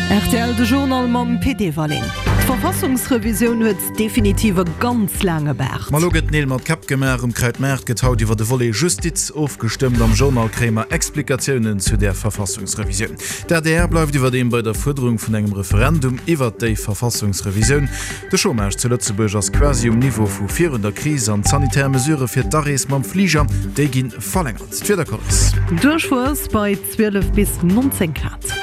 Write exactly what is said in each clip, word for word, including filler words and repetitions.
R T L, de Journal mam Pit Everling. D'Verfassungsrevisioun huet definitiv e ganz laange Baart. Ma lo gëtt Neel mat Käpp gemaach. Um Krautmaart gëtt haut iwwer de Volet Justiz ofgestëmmt. Am Journal kréie mer Explikatiounen zu där Verfassungsrevisioun. D'A D R bleift iwwerdeem bei der Fuerderung vun engem Referendum iwwer déi Verfassungsrevisioun. De Chômage zu Lëtzebuerg ass quasi um Niveau vu virun der Kris an d'sanitär Mesurë fir d'Arees mam Fliger, déi gi verlängert. D'Wiedercourse. Duerchwuess bei zwielef bis nonzéng Grad.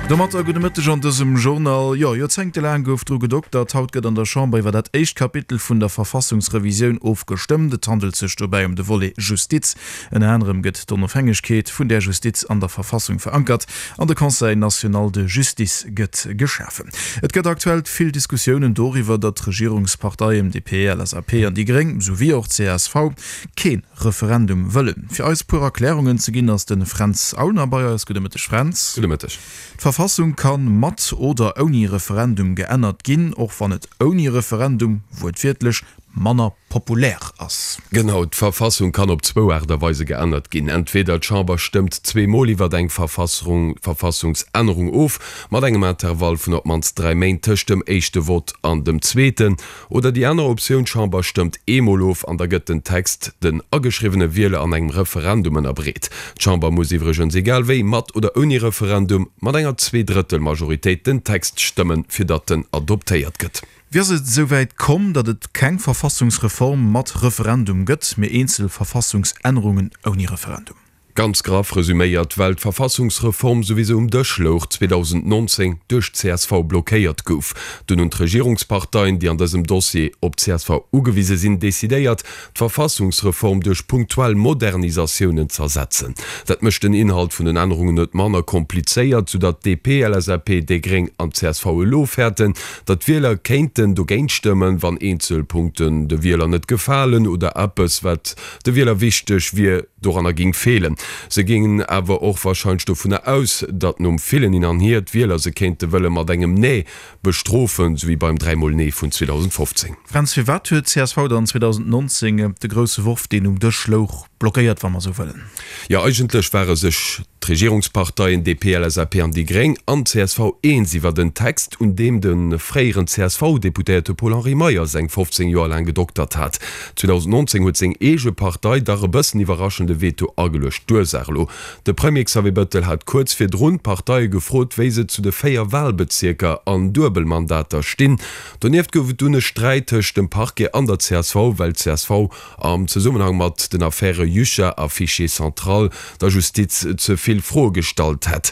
Domatter gudde Mëtteg an dësem Journal. Jo, joerzéngtelaang gouf dru gedoktert. Haut gëtt an der Chamber iwwer dat éischt Kapitel vun der Verfassungsrevisioun ofgestëmmt. Et handelt sech dobäi ëm de Volet Justiz. Ënner anerem gëtt d'Onofhängegkeet vun där Justiz an der Verfassung verankert an de Conseil national de justice gëtt geschafen. Et gëtt aktuell vill Diskussiounen doriwwer, datt d'Regierungsparteien D P, L S A P an déi Gréng, souwéi och C S V, kee Referendum wëllen. Fir eis puer Erklärungen ze ginn, ass de Fränz Aulner bei eis. Gudde Mëtteg, Fränz. Gudde Mëtteg. D'Verfassung kann mat oder ouni Referendum geännert ginn, och wann et ouni Referendum wuertwiertlech manner populär ass. Genau, d'Verfassung kann op zwou Aart a Weise geännert ginn. Entweder d'Chamber stëmmt zweemol iwwer eng Verfassung, Verfassungsännerung of, mat engem Intervall vun op d'mannst dräi Méint tëscht dem éischte Vott an dem zweeten. Oder déi aner Optioun, d'Chamber stëmmt eemol of an da gëtt den Text den ageschriwwene Wieler an engem Referendum ënnerbreet. D'Chamber muss iwwregens egal wéi, mat oder ouni Referendum, mat enger Zweedrëttelmajoritéit den Text stëmmen, fir datt en adoptéiert gëtt. Wéi ass et esouwäit komm, datt et keng Verfassungsreform mat Referendum gëtt, mee eenzel Verfassungsännerungen ouni Referendum? Ganz graff resuméiert, well d'Verfassungsreform, sou wéi se um Dësch louch, zweedausendnonzéng duerch d'C S V blockéiert gouf. Dunn hunn d'Regierungsparteien, déi an dësem Dossier op d'C S V ugewise sinn, decidéiert, d'Verfassungsreform duerch punktuell Modernisatiounen z'ersetzen. Dat mécht den Inhalt vun den Ännerungen net manner komplizéiert, soudatt D P, L S A P, déi Gréng an d'C S V elo fäerten, datt d'Wieler kéinten dogéint stëmmen, wann eenzel Punkten de Wieler net gefalen oder eppes, wat de Wieler wichteg wier, doranner géing feelen. Se gingen awer och warscheinlech dovunner aus, datt nom villen Hin an Hier d'Wieler se kéinte wëlle mat engem Nee bestrofen, sou wéi beim dräimol Nee vun zweedausendfofzéng. Fränz, firwat huet d'C S V dann zweedausendnonzéng de grousse Worf, deen um Dësch louch, blockéiert, wa mer esou wëllen? Jo, eigentlech ware sech d'Regierungsparteien D P, L S A P an déi Gréng an d'C S V eens iwwert en Text, un deem de fréieren C S V-Deputéierte Paul-Henri Meyers eng fofzéng Joer laang gedoktert hat. zweedausendnonzéng huet seng eege Partei dach e bëssen iwwerraschend e Veto ageluecht. D'Ursaach elo, De Premier Xavier Bettel hat kuerz virdrun d'Parteie gefrot, wéi se zu de véier Walbezierker an Duebelmandater stinn. Donieft gouf et dunn e Sträit tëscht dem Parquet an der C S V, well d'C S V am Zesummenhang mat den Affäre Jucha a Fichier central der Justiz ze vill Froe gestallt hätt.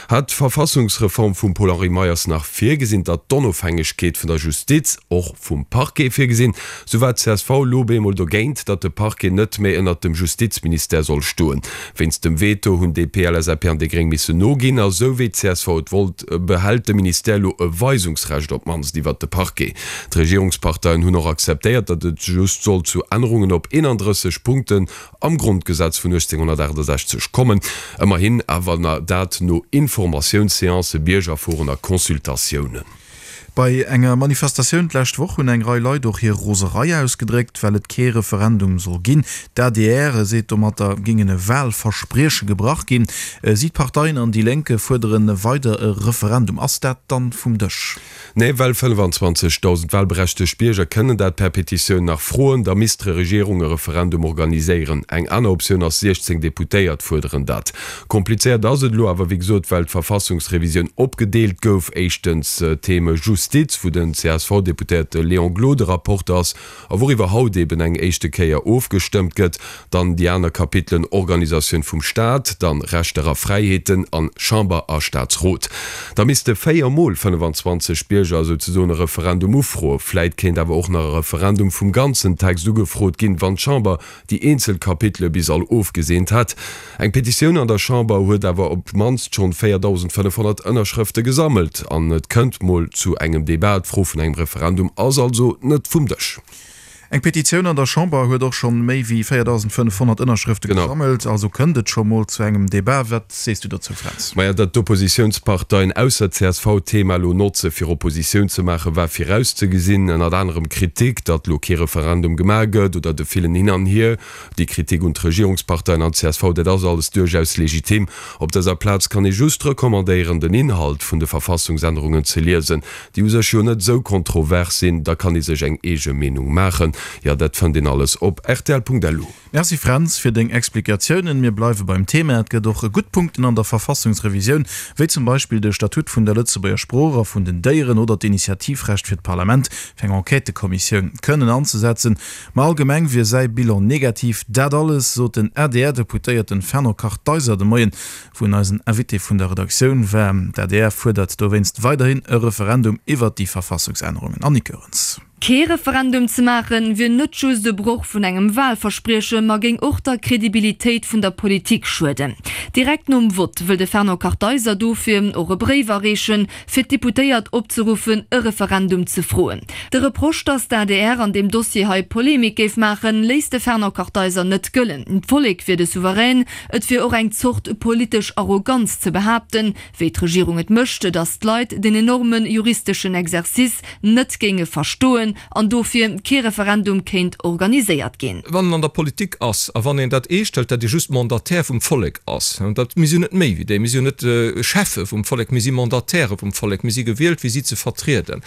Hat d'Verfassungsreform vum Paul-Henri Meyers nach virgesinn, datt d'Onofhängegkeet vun der Justiz, och vum Parquet, virgesinn, sou war d'C S V elo bemol dogéint, datt de Parquet net méi ënnert dem Justizministère soll stoen. Wéinst dem Veto hunn D P, L S A P an déi Gréng missen noginn a sou wéi d'C S V et wollt, behält de Ministère elo e Weisungsrecht op d'mannst iwwert de Parquet. D'Regierungsparteien hunn och akzeptéiert, datt et just soll zu Ännerungen op eenandrësseg Punkten am Grondgesetz vun uechtzénghonnertaachtasechzeg kommen, ëmmerhin awer dat no Informatiounsseancen, Biergerforen a Consultatiounen. Bei enger Manifestatioun d'lescht Woch hunn eng Rei Leit och hir Roserei ausgedréckt, well et kee Referendum soll ginn. D'A D R seet, domatter géingen e Walversprieche gebrach ginn. Si, d'Parteien an déi Lénk fuerdere weider e Referendum. Ass dat dann vum Dësch? Nee, well fënnefenzwanzegdausend walberechtegt Bierger kënnen dat per Petitioun nach froen. Da misst d'Regierung e Referendum organiséieren. Eng aner Optioun ass, siechzéng Deputéiert fuerderen dat. Komplizéiert ass et elo awer, wéi gesot, well d'Verfassungsrevisioun opgedeelt gouf. Éischtens d'Theme Justiz, wou den C S V-Deputéierte Léon Gloden Rapporteur ass a wouriwwer haut eben eng éischte Kéier ofgestëmmt gëtt. Dann déi aner Kapitelen Organisatioun vum Staat, dann Rechter a Fräiheeten an Chamber a Staatsrot. Da misste véier mol fënnefenzwanzeg Bierger souzesoen e Referendum ufroen. Vläit kéint awer och nach e Referendum vum ganzen Text ugefrot ginn, wann d'Chamber déi eenzel Kapitele bis all ofgeseent hätt. Eng Petitioun an der Chamber huet awer op d'mannst schonn véierdausendfënnefhonnert Ënnerschrëfte gesammelt an et kënnt mol zu engem Debat. D'Fro vun engem Referendum ass also net vum Dësch. Eng Petitioun an der Chamber huet och schonn méi wéi véierdausendfënnefhonnert Ënnerschrëfte gesammelt. Also kënnt et scho mol zu engem Debat. Wat sees du dozou, Fränz? Maja, datt d'Oppositiounsparteien ausser csv d'Thema elo notze fir Oppositioun ze maachen, war virauszegesinn. Ënnert anerem d'Kritik, datt elo kee Referendum gemaach gëtt oder de villen Hin an Hier, déi Kritik un d'Regierungsparteien an csv, dat ass alles duerchaus legitim. Op dëser Plaz kann ee just recommandéieren, den Inhalt vun de Verfassungsännerungen ze liesen, déi u sech jo net esou kontrovers sinn. Da kann ee sech eng eege Meenung maachen. Jo, dat fënnt een alles op rtl.lu. Merci Fränz fir deng Explikatiounen. Mir bleiwe beim Thema. Et gëtt och gutt Punkten an der Verfassungsrevisioun, wéi zum Beispill de Statut vun der Lëtzebuerger Sprooch a vun den Déieren oder d'Initiativrecht fir d'Parlament, fir eng Enquêtëkommissioun kënnen anzesetzen. Ma allgemeng wier säi Bilan negativ. Dat alles sot den A D R-Deputéierten Fernand Kartheiser de Moien, wou en eisen Invité vun der Redaktioun war. D'A D R fuerdert dowéinst weiderhin e Referendum iwwert déi Verfassungsännerungen. Annick Goerens. Kee Referendum ze maachen, wier net just e Broch vun engem Walversprieche, ma géing och der Kredibilitéit vun der Politik schueden. Direkt nom Vott wëll de Fernand Kartheiser dofir och e Bréif areechen, fir d'Deputéiert opzeruffen, e Referendum ze froen. De Reproche, datt d'A D R an deem Dossier hei Polemik géif maachen, léisst de Fernand Kartheiser net gëllen. D'Vollek wier de Souverän. Et wier och eng Zort politesch Arroganz ze behaapten, wéi d'Regierung et mécht, datt d'Leit den enorme juristeschen Exercice net géinge verstoen an dofir kee Referendum kéint organiséiert ginn. Wann en an der Politik ass a wann een dat eescht hëlt, datt ee just Mandataire vum Vollek ass, an dat, mir sinn net méi wéi déi, mir sinn jo net Cheffe vum Vollek, mir si Mandatairë vum Vollek, mir si gewielt fir si ze vertrieden.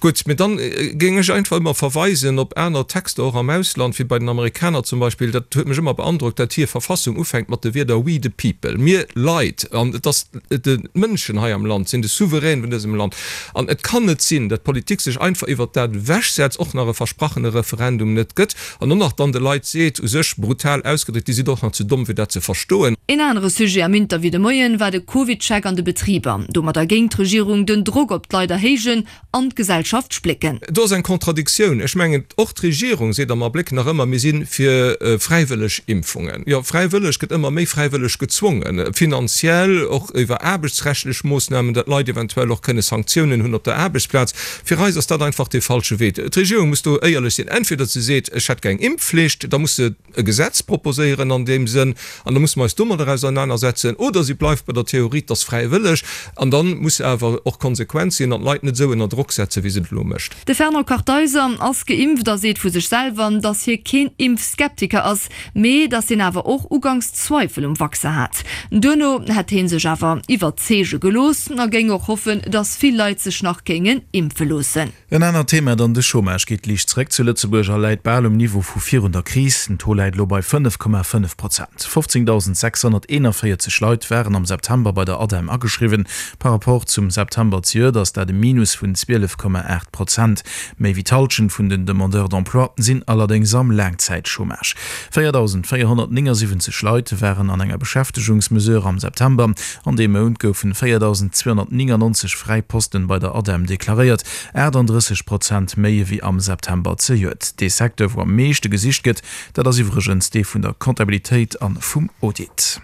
Gutt, mee dann géing ech einfach ëmmer verweisen op aner Texter och am Ausland, wéi bei den Amerikaner zum Beispill, dat huet mech ëmmer beandrockt, datt hir Verfassung ufänkt mat de Wierder We the people, mir Leit, an et ass d'Mënschen hei am Land sinn de Souverän vun dësem Land. An et kann net sinn, datt d'Politik sech einfach iwwert dat ewechsetzt, och nach e versprachene Referendum net gëtt an och nach dann de Leit seet, u sech brutal ausgedréckt, Dir sidd och nach ze domm fir dat ze verstoen. Een anere Sujet am Interview de Moien war de CovidCheck an de Betriber. Domadder géing d'Regierung den Drock op d'Leit erhéijen an d'Gesellschaft splécken. Do ass eng Contradictioun. Ech mengen, och d'Regierung seet am Abléck nach ëmmer, mir si fir fräiwëlleg Impfungen. Jo, fräiwëlleg gëtt ëmmer méi fräiwëlleg gezwongen, finanziell, och iwwer aarbechtsrechtlech Moossnamen, datt Leit eventuell och kënne Sanktiounen hunn op der Aarbechtsplaz. Fir eis ass dat einfach dee falsche Wee. D'Regierung muss do éierlech sinn. Entweder se seet, ech hätt gär eng Impfflicht, da muss se e Gesetz proposéieren an deem Sënn an da musse mer eis domadder ausernanersetzen, oder si bleift bei der Theorie, et ass fräiwëlleg an da muss se awer och konsequent sinn an d'Leit net esou ënner Drock setzen, wéi se et elo mécht. De Fernand Kartheiser ass geimpft a seet vu sech selwer, datt hie keen Impfskeptiker ass, mee datt hien awer och uganks Zweifel um Vaccin hat. Duerno hätt hie sech awer iwwerzeege gelooss a géing och hoffen, datt vill Leit sech nach géingen impfe loossen. En anert Thema dann, De Chômage geet liicht zréck zu Lëtzebuerg a läit bal um Niveau vu virun der Kris. Den Taux läit elo bei fënnef Komma fënnef Prozent. fofzéngdausend sechshonnerteenavéierzeg Leit waren am September bei der ADEM ageschriwwen. Par rapport zum September zejoert ass dat e Minus vun zwielef Komma aacht Prozent. Méi wéi d'Hallschent vun den Demandeurs d'emploi sinn allerdéngs am Laangzäitchômage. véierdausendvéierhonnertnéngasiwwenzeg Leit waren an enger Beschäftegungsmesure am September. An deem Mount goufen véierdausend zweehonnertnéngannonzeg fräi Posten bei der ADEM deklaréiert, aachtanddrësseg Prozent méi ewéi am September zejoert. Dee Secteur, wou am meeschte gesicht gëtt, dat ass iwwregens dee vun der Comptabilitéit an vum Audit.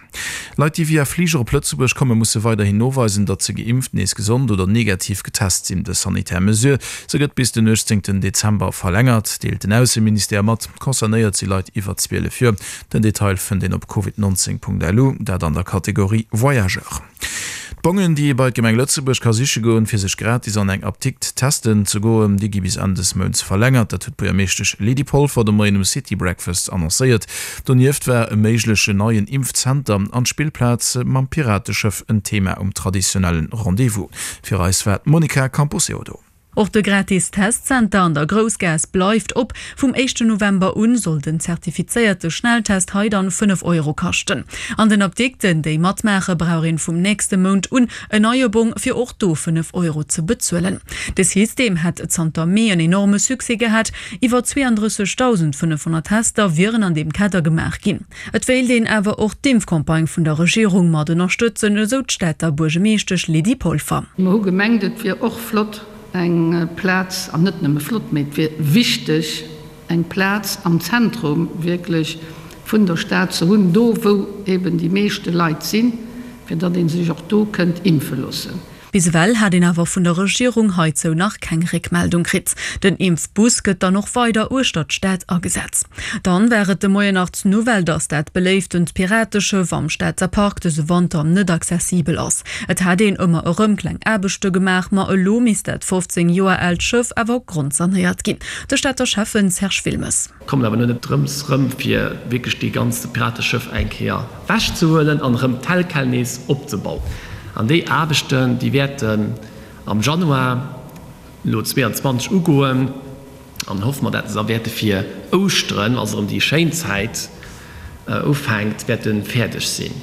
Leit, déi via Fliger op Lëtzebuerg kommen, musse weiderhin noweisen, datt se geimpft, nees gesond oder negativ getest sinn. Dës sanitär Mesure, se gëtt bis den uechtzéngten Dezember verlängert, deelt den Ausseministère mat. Concernéiert si Leit iwwer zwielef Joer. Den Detail fënnt een op covid neunzehn punkt lu, dat an der Kategorie Voyageur. D'Bongen, déi ee bei d'Gemeng Lëtzebuerg ka siche goen, fir sech gratis an eng Apdikt testen ze goen, déi gi bis Enn des Mounts verlängert. Dat huet d'Buergermeeschtesch Lydie Polfer de Moien um City Breakfast annoncéiert. Donieft war e méiglechen neien Impfzenter an d'Spillplaz mam Pirateschëff en Thema um traditionellen Rendez-vous. Fir eis war d'Monica Camposeodo. Och de gratis Testzenter an der Groussgaass bleift op. Vum éischten November un soll den zertifizéierte Schnelltest hei dann fënnef Euro kaschten. An den Apdikten, déi matmaache, brauch een vum nächste Mount un en neie Bong, fir och do fënnef Euro ze bezuelen. De System hätt zanter Mee en enorme Succès gehat, iwwer zweeandrëssegdausendfënnefhonnert Tester wieren an deem Kader gemaach ginn. Et wéilt een awer och d'Impfcampagne vun der Regierung mat ënnerstëtzen, esou d'Stater Buergemeeschtesch Lydie Polfer. Mer hu gemengt, et wier och flott eng Plaz, an net nëmme flott, mee et wier wichteg eng Plaz am Zentrum wierklech vun der Stad ze hunn, do wou eben déi meeschte Leit sinn, fir datt ee sech och do kënnt impfe loossen. Bis ewell hat een awer vun der Regierung heizou nach keng Réckmeldung kritt. Den Impfbus gëtt dann och weider uechter d'Stad agesat. Dann war et de Moien nach d'Nouvelle, dass dat beléiftent Pirateschëff am Stater Park dëse Wanter net accessibel ass. Et hat een ëmmer erëm kleng Aarbechte gemaach, ma elo misst dat fofzéng Joer aalt Schëff awer grondsanéiert ginn. De Stater Schäffen Serge Wilmes. Kommen awer net drëms rëm fir wierklech dee ganze Pirateschëff eng Kéier wech ze huelen an erëm tel quel nees opzebauen. An déi Aarbechten, déi wäerten am Januar elo zweeanzwanzeg ugoen an hoffe mer, dat se da wäerte fir Ouschteren, also erëm déi schéin Zäit ufänkt, wäerte fäerdeg sinn.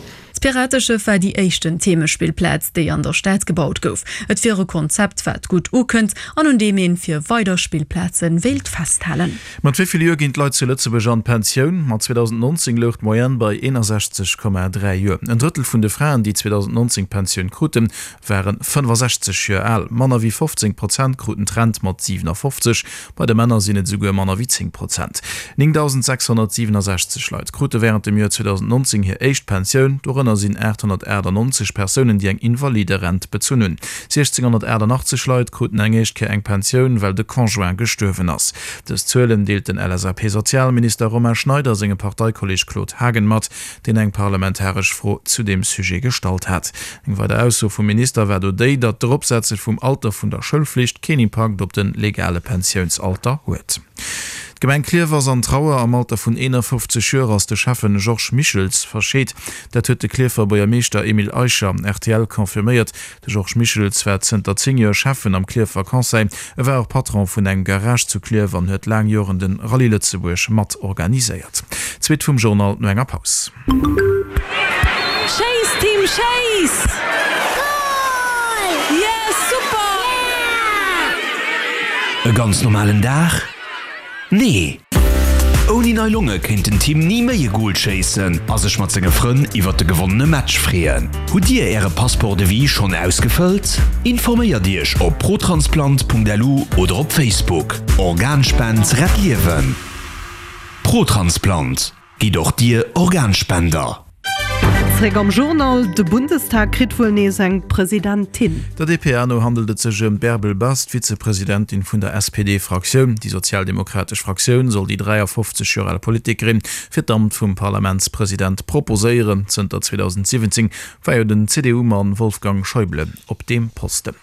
D'Pirateschëff war déi éischten Themespillplaz, déi an der Stad gebaut gouf. Et wier e Konzept, wat gutt ukënnt an un deem een fir weider Spillplaze wéilt festhalen. Mat wéi vill Joer ginn d'Leit zu Lëtzebuerg an d'Pensioun? Ma zweedausendnonzéng louch d'Moyenne bei eenasechzeg Komma dräi Joer. En Drëttel vun de Fraen, déi zweedausendnonzéng d'Pensioun kruten, ware fënnefasechzeg Joer al. Manner wéi fofzéng Prozent kruten d'Rent mat siwenafofzeg, bei de Männer sinn et esouguer manner wéi zéng Prozent. Néngdausendsechshonnertsiwenasechzeg Leit krute wärend dem Joer zweedausendnonzéng hir éischt Pensioun, dorënner sinn aathonnertachtannonzeg Persounen, déi eng Invaliderent bezunn hunn. Siechzénghonnertaachtannachtzeg Leit kruten eng éischt Kéier eng Pensioun, well de Conjoint gestuerwen ass. Dës Zuelen deelt den L S A P-Sozialminister Romain Schneider sengem Parteikolleeg Claude Haagen mat, deen eng parlamentaresch Fro zu deem Sujet gestallt hat. Eng weider Ausso vum Minister war do déi, datt d'Eropsetze vum Alter vun der Schoulflicht keen Impakt op de legale Pensiounsalter huet. D'Gemeng Klierf ass an Trauer. Am Alter vun eenafofzeg Joer ass de Schäffen Georges Michels verscheet. Dat huet de Klierfer Buergermeeschter Emile Eicher R T L confirméiert. De Georges Michels war zënter zéng Joer Schäffen am Klierfer Conseil. E war och Patron vun engem Garage zu Klierf an huet laang Joren de Rallye Lëtzebuerg mat organiséiert. D'Suite vum Journal no enger Paus. Schéiss Team, schéiss! Goal! Yes, super! E ganz normalen Dag? Nee! Ouni nei Longe kéint den Tim ni méi e Goal schéissen a sech mat senge Frënn iwwer de gewonnene Match freeën. Hutt Dir Äre Passeport de vie schonn ausgefëllt? Informéiert Iech op protransplant Punkt L U oder op Facebook. Organspend rett Liewen. Protransplant. Gitt och Dir Organspender. Zréck am Journal, De Bundestag kritt wuel nees eng Presidentin. Der D P A no handelt et sech ëm d'Bärbel Bas, d'Vizepresidentin vun der S P D-Fraktioun. Déi sozialdemokratesch Fraktioun soll déi dräiafofzeg Joer al Politikerin fir d'Amt vum Parlamentspresident proposéieren. Zënter zweedausendsiwwenzéng war jo den C D U-Mann Wolfgang Schäuble op deem Posten.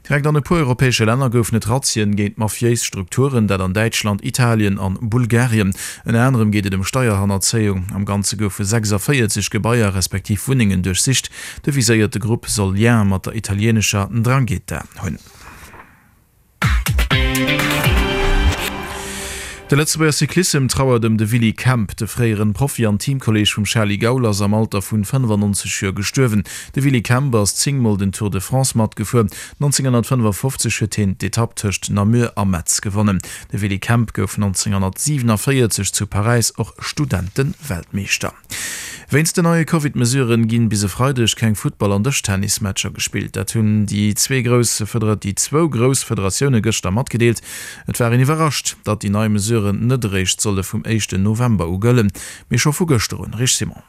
Direkt an e puer europäesche Länner goufen et Razzien géint mafiéis Strukturen, dat an Däitschland, Italien an Bulgarien. Ënner anerem geet et ëm Steierhannerzéiung. Am Ganze goufe sechsavéierzeg Gebaier respektiv Wunnengen duerchsicht. De viséierte Grupp soll Lien mat der italieenescher Ndrangheta hunn. De Lëtzebuerger Cyclissem trauert ëm de Willy Kemp. De fréieren Profi an Teamkolleeg vum Charly Gaul ass am Alter vun fënnefannonzeg Joer gestuerwen. De Willy Kemp ass zéng Mol den Tour de France matgefuer. nonzénghonnertfënnefafofzeg huet hien d'Etapp tëscht Namur a Metz gewonnen. De Willy Kemp gouf nonzénghonnertsiwenavéierzeg zu Paräis och Studenten-Weltmeeschter. Wéinst den neie Covid-Mesuren ginn bis e Freideg keng Futtball an Dëschtennismatcher gespillt. Dat hunn déi zwee grouss déi zwou grouss Federatioune gëschter matgedeelt. Et war een iwwerrascht, datt déi nei Mesuren net eréischt solle vum éischten November u gëllen, mee scho vu gëschter un. Rich Simon.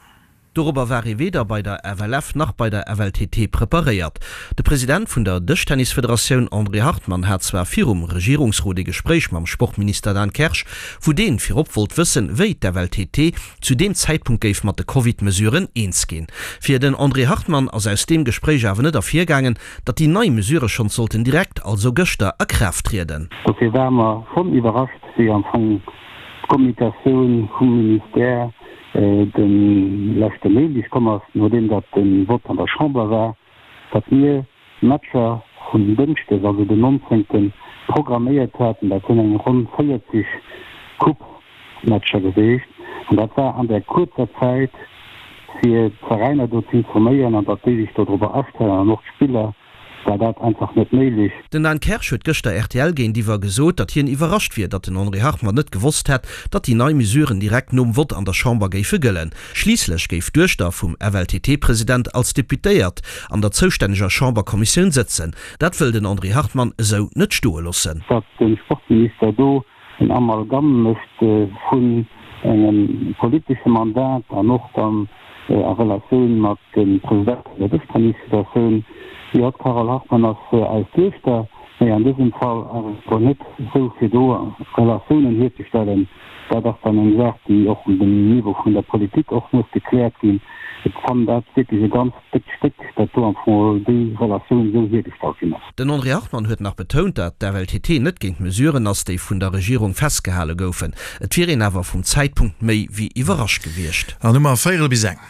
Dorobber war ee weder bei der F L F nach bei der F L T T preparéiert. De President vun der Dëschtennisfederatioun André Hartmann hat zwar virum Regierungsrot e Gespréich mam Sportminister Dan Kersch, wou deen virop wollt wëssen, wéi d'F L T T zu deem Zäitpunkt géif mat de Covid-Mesuren eens ginn. Fir den André Hartmann ass aus deem Gespréich awer net ervirgaangen, datt déi nei Mesure schonns sollten direkt, also gëschter, a Kraaft trieden. Dofir ware mer schonn iwwerrascht, wéi am Fong d'Kommunikatioun vum Ministère de leschte Méindeg komm ass, nodeem datt de Vott an der Chamber war, datt mir Matcher vun Dënschdes, also den nonzéngten, programméiert haten. Dat sinn eng ronn véierzeg Coupe-Matcher geweecht an dat war an där kuerzer Zäit, fir d'Veräiner do ze informéieren an datt déi sech dodrobber astellen an och d'Spiller, war dat einfach net méiglech. Den Dan Kersch huet gëschter R T L géintiwwer gesot, datt hien iwwerrascht wier, datt den André Hartmann net gewosst hätt, datt déi nei Mesuren direkt nom Vott an der Chamber géife gëllen. Schliisslech géif d'Duechter vum F L T T-President als Deputéiert an der zoustänneger Chamberkommissioun sëtzen. Dat wëll den André Hartmann esou net stoe loossen. Datt de Sportminister do en Amalgam mécht vun engem politesche Mandat an och dann a Relatioun mat dem President vun der Dëschtennisfederatioun, Jo, d'Carole Hartmann ass eis Duechter, mee an dësem Fall ass et elo net esou, fir do Relatiounen hierzestellen. Dat ass dann eng Saach, déi och um Niveau vun der Politik och muss gekläert ginn. Ech fannen dat wierklech e ganz déckt Stéck, datt do am Fong déi Relatioun esou hiergestallt ginn ass. Den André Hartmann huet nach betount, datt d'FLTT net géint d'Mesuren ass, déi vun der Regierung festgehale goufen. Et wier een awer vum Zäitpunkt méi wéi iwwerrascht gewiescht. An hu mer véierel bis eng.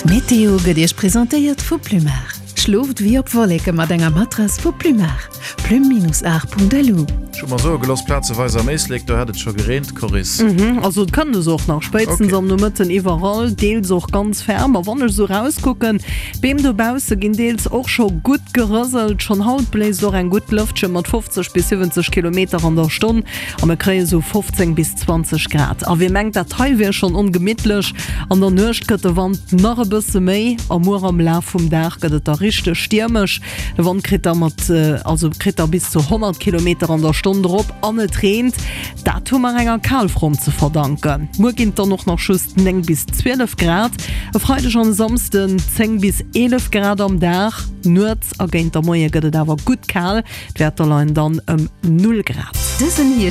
D'Meteo gëtt Iech presentéiert vu Plumar. Schlooft wéi op Wolleke mat enger Matrass vu Plumar. Plume-art.lu. Ech hu mer soe gelooss, plazeweis am Éislek, do hätt et scho gereent, Coris. Mhm, also et kënnt es och nach spéitstens am Nomëtten iwwerall, deels och ganz ferm. A wann ech esou rauskucken, d'Beem dobausse ginn deels och scho gutt gerëselt. Schonn haut bléist och eng gutt Lëftche mat fofzeg bis siwwenzeg Kilometer an der Stonn a mir kréie sou fofzéng bis zwanzeg Grad. A wie mengt, dat hei wier schonn ongemittlech, An der Nuecht gëtt de Wand nach e bësse méi a muer am Laf vum Dag gëtt et da richteg stiermesch. De Wand kritt da mat also kritt da bis zu honnert Kilometer an der Stonn drop an et reent. Dat hu mer enger Kalfront ze verdanken. Muer ginn et dann och nach just néng bis zwielef Grad, e Freideg an e Samsden zéng bis eelef Grad am Dag. Nuets a géint der Moie gëtt et awer gutt kal, d'Wäerter leien dann ëm null Grad. Dësen Hierscht.